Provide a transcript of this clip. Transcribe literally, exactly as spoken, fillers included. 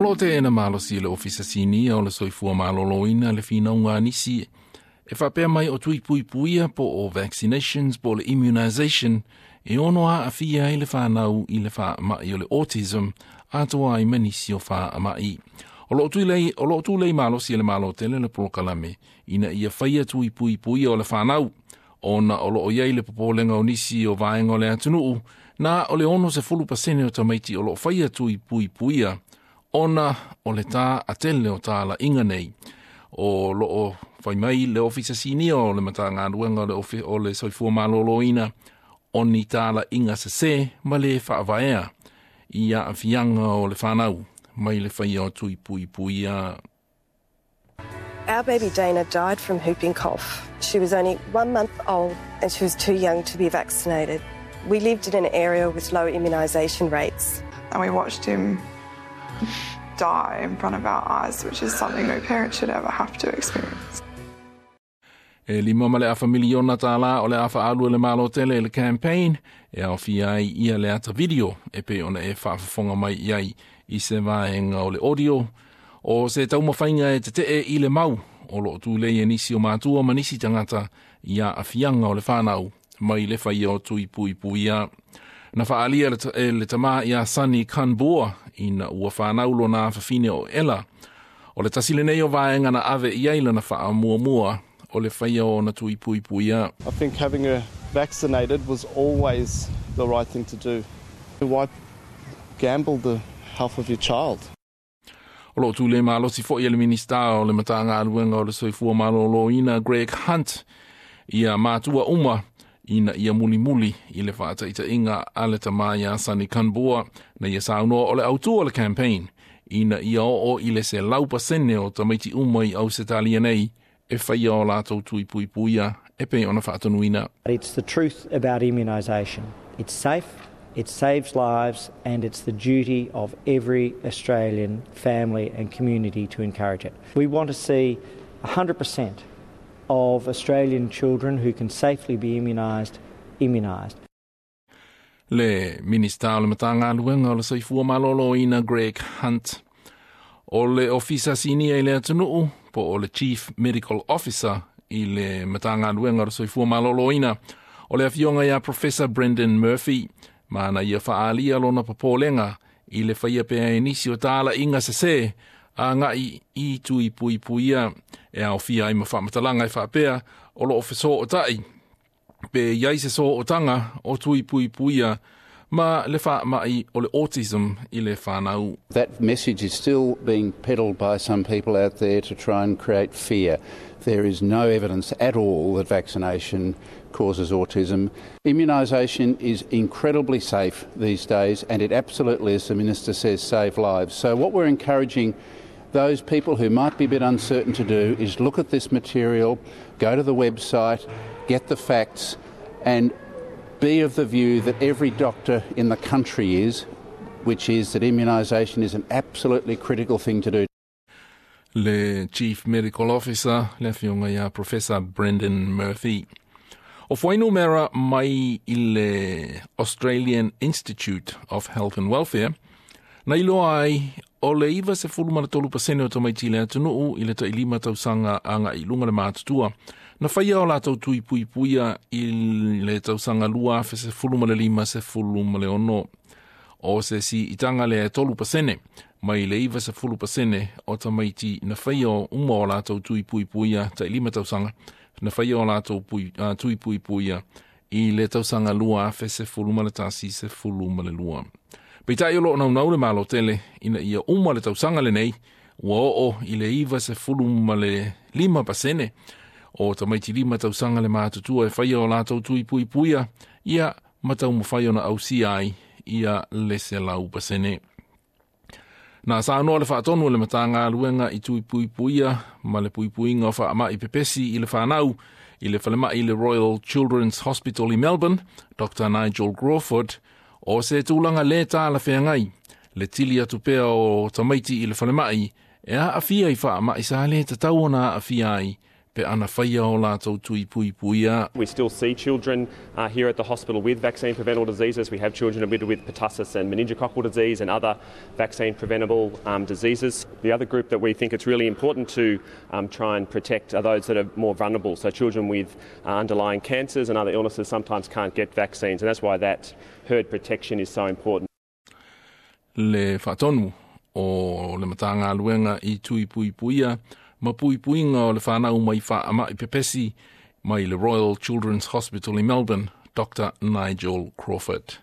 Lo te ena malosi le ofisa sinia o le soifua malōlōina le finauga a nisi e faapea mai o tui puipuia po o vaccinations po o le immunization e ono aafia ai le fanau i le faamai o le autism atoa ai ma nisi o faamai. O loo tulei, o loo tulei malosi e le Malo tele le polokalame ina ia faia tui puipuia o le fanau ona o loo iai le popolega o nisi o vaega o le atunuu na o le ono sefulu pasene o tamaiti o loo faia tui puipuia ona o le taatele o talaiga nei. O loo fai mai le ofisa sinia o le Matagaluega o le, ofi, o le Soifua Malōlōina o ni talaiga sesē ma le faavaea i aafiaga o le fanau mai le faia o tui puipuia. Our baby Dana died from whooping cough. She was only one month old and she was too young to be vaccinated. We lived in an area with low immunisation rates. And we watched him die in front of our eyes, which is something no parent should ever have to experience. E lima ma le afa miliona tālā o le a faaalu e le Malo tele i le campaign e aofia ai ia le ata video e pei ona e faafofoga mai i ai i se vaega o le audio o se taumafaiga e tetee i le mau o loo tulei e nisi o matua ma nisi tagata i aafiaga o le fanau mai le faia o tui puipuia. Na faaalia e le tamā ia Sunny Kanbua ina ua fanau lona afafine o Ella. O le tasi lenei o vaega na ave i ai lana faamuamua o le faia o ona tui puipuia. I think having her vaccinated was always the right thing to do. Why gamble the health of your child? O loo tulei malosi foi e le Minista o le Matagaluega o le Soifua Malōlōina Greg Hunt ia matua uma ina ia mulimuli i le faataitaiga a le tamā iā Sunny Kanbua na ia saunoa o le autū o le campaign ina ia oo i le selau pasene o tamaiti uma i Ausetalia nei e faia o latou tui puipuia e pei ona faatonuina. It's the truth about immunisation. It's safe, it saves lives, and it's the duty of every Australian family and community to encourage it. We want to see one hundred percent of Australian children who can safely be immunised, immunised. Le Minista o le Matagaluega o le Soifua Malōlōina Greg Hunt. O le ofisa sinia i le atunuu po o le Chief Medical Officer i le Matagaluega o le Soifua Malōlōina o le afioga ia Professor Brendan Murphy ma na ia faaalia lona popolega i le faia pea e nisi o talaiga sesē agai i tui puipuia e aofia ai ma faamatalaga e faapea o loo fesootai pe iai se sootaga o tui puipuia ma le faamai o le autism i le fanau. That message is still being peddled by some people out there to try and create fear. There is no evidence at all that vaccination causes autism. Immunisation is incredibly safe these days, and it absolutely, as the Minister says, save lives. So what we're encouraging those people who might be a bit uncertain to do is look at this material, go to the website, get the facts, and be of the view that every doctor in the country is, which is that immunisation is an absolutely critical thing to do. Le Chief Medical Officer, le afioga ia Professor Brendan Murphy. O fuainumera mai i le Australian Institute of Health and Welfare, na iloa ai o le iva sefulu ma le tolu pasene o tamaiti i le atunuu i le tailima tausaga agai i luga le matutua. Na faia o latou tui puipuia i le tausaga lua afe sefulu ma le lima sefulu ma le ono. O se siitaga lea e tolu pasene, mai le iva sefulu pasene o tamaiti na faia o uma o latou tui puipuia tailima tausaga, na faia o latou pui, uh, tui puipuia i le tausaga lua afe sefulu ma le tasi sefulu ma le lua. Peitai o loo naunau le Malo tele ina ia uma le tausaga lenei, ua oo i le iva sefulu ma le lima pasene o tamaiti lima tausaga le matutua e faia o latou tui puipuia, ia ma taumafai ona ausia ai ia le selau pasene. Na saunoa le faatonu o le Matagaluega i tui puipuia ma le puipuiga o faamai pepesi i le fanau i le falemai i le Royal Children's Hospital i Melbourne, Doctor Nigel Crawford, o se tulaga lē talafeagai le tili atu pea o tamaiti i le falemai e aafia i faamai sa lē tatau ona aafia ai pe Pe ana faia o latou tui puipuia. We still see children uh, here at the hospital with vaccine preventable diseases. We have children admitted with pertussis and meningococcal disease and other vaccine preventable um, diseases. The other group that we think it's really important to um, try and protect are those that are more vulnerable. So children with uh, underlying cancers and other illnesses sometimes can't get vaccines, and that's why that herd protection is so important. Le faatonu o le Matagaluega i tui puipuia ma puipuiga o le fanau mai faamai pepesi mai le Royal Children's Hospital i Melbourne, Doctor Nigel Crawford.